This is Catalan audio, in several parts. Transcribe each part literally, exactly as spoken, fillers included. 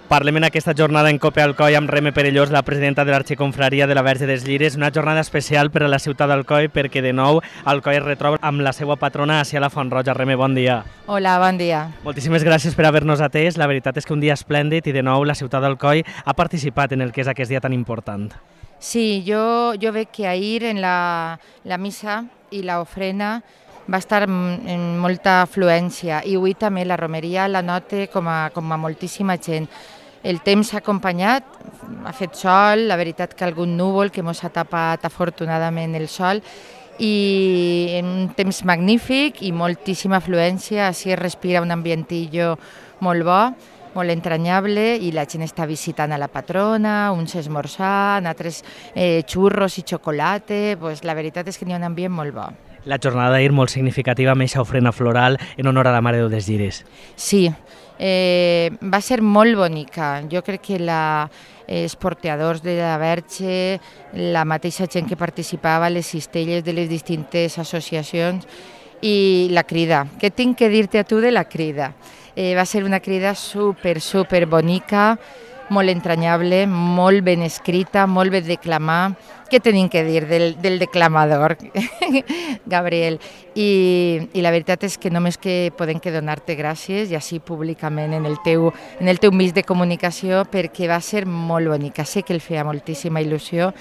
Parlem en aquesta jornada en Cope Alcoi amb Reme Perellós, la presidenta de l'Arxiconfraria de la Verge dels Lliris. Una jornada especial per a la ciutat d'Alcoi perquè de nou Alcoi es retroba amb la seva patrona Asia la Font-roja. Reme, bon dia. Hola, bon dia. Moltíssimes gràcies per haver-nos atès. La veritat és que un dia esplèndid i de nou la ciutat d'Alcoi ha participat en el que és aquest dia tan important. Sí, jo, jo veig que ahir en la, la missa i l'ofrena va estar en molta afluència i avui també la romeria la nota com a, com a moltíssima gent. El temps s'ha acompanyat, ha fet sol, la veritat que algun núvol que ens ha tapat afortunadament el sol i un temps magnífic i moltíssima afluència, així es respira un ambientillo molt bo, molt entranyable i la gent està visitant a la patrona, uns esmorzant, altres eh, xurros i xocolata, pues la veritat és que n'hi ha un ambient molt bo. La jornada d'ahir molt significativa amb aquesta ofrena floral en honor a la Mare de Déu dels Lliris. Sí, eh, va ser molt bonica. Jo crec que la, els porteadors de la Verge, la mateixa gent que participava, les cistelles de les distintes associacions i la crida. Què tinc que dir-te a tu de la crida? Eh, va ser una crida super, super bonica, molt entranyable, molt ben escrita, molt ben declamada. Què tenim que dir del, del declamador, Gabriel? I, I la veritat és que només que podem que donar-te gràcies, i així públicament en el teu, en el teu mig de comunicació, perquè va ser molt bonica. Sé que el feia moltíssima il·lusió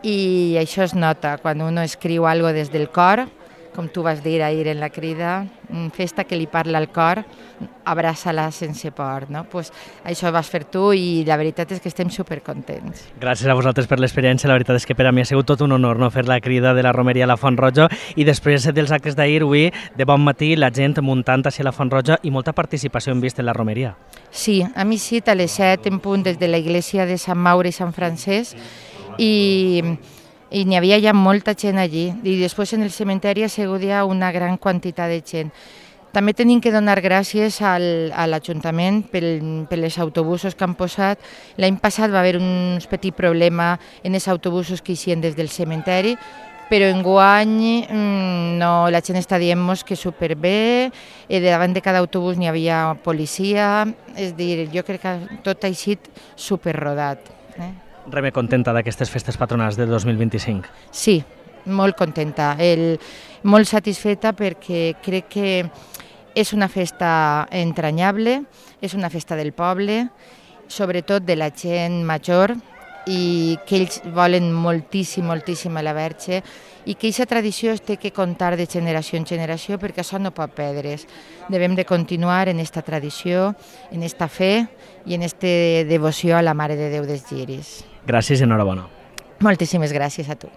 i això es nota quan uno escriu algo des del cor, com tu vas dir ahir en la crida, festa que li parla al cor, abraça-la sense por, no? Pues això vas fer tu i la veritat és que estem supercontents. Gràcies a vosaltres per l'experiència, la veritat és que per a mi ha sigut tot un honor no fer la crida de la romeria a la Font-roja i després dels actes d'ahir, avui, de bon matí, la gent muntant hacia la Font-roja i molta participació hem vist en la romeria. Sí, a mi sí, a les set en punt des de la iglesia de Sant Maure i Sant Francesc i... i n'hi havia ja molta gent allí, i després en el cementeri ha sigut ja una gran quantitat de gent. També tenim que donar gràcies al, a l'Ajuntament per, per els autobusos que han posat. L'any passat va haver un petit problema en els autobusos que eixien des del cementeri, però enguany no, la gent està dient-nos que superbé, i davant de cada autobús n'hi havia policia, és a dir, jo crec que tot ha eixit superrodat. Eh? Reme, contenta d'aquestes festes patronals del dos mil vint-i-cinc? Sí, molt contenta, el, molt satisfeta perquè crec que és una festa entranyable, és una festa del poble, sobretot de la gent major, i que ells volen moltíssim, moltíssim a la Verge, i que aquesta tradició es té que contar de generació en generació perquè això no pot perdre's. Devem de continuar en aquesta tradició, en aquesta fe i en aquesta devoció a la Mare de Déu dels Lliris. Gràcies i enhorabona. Moltíssimes gràcies a tu.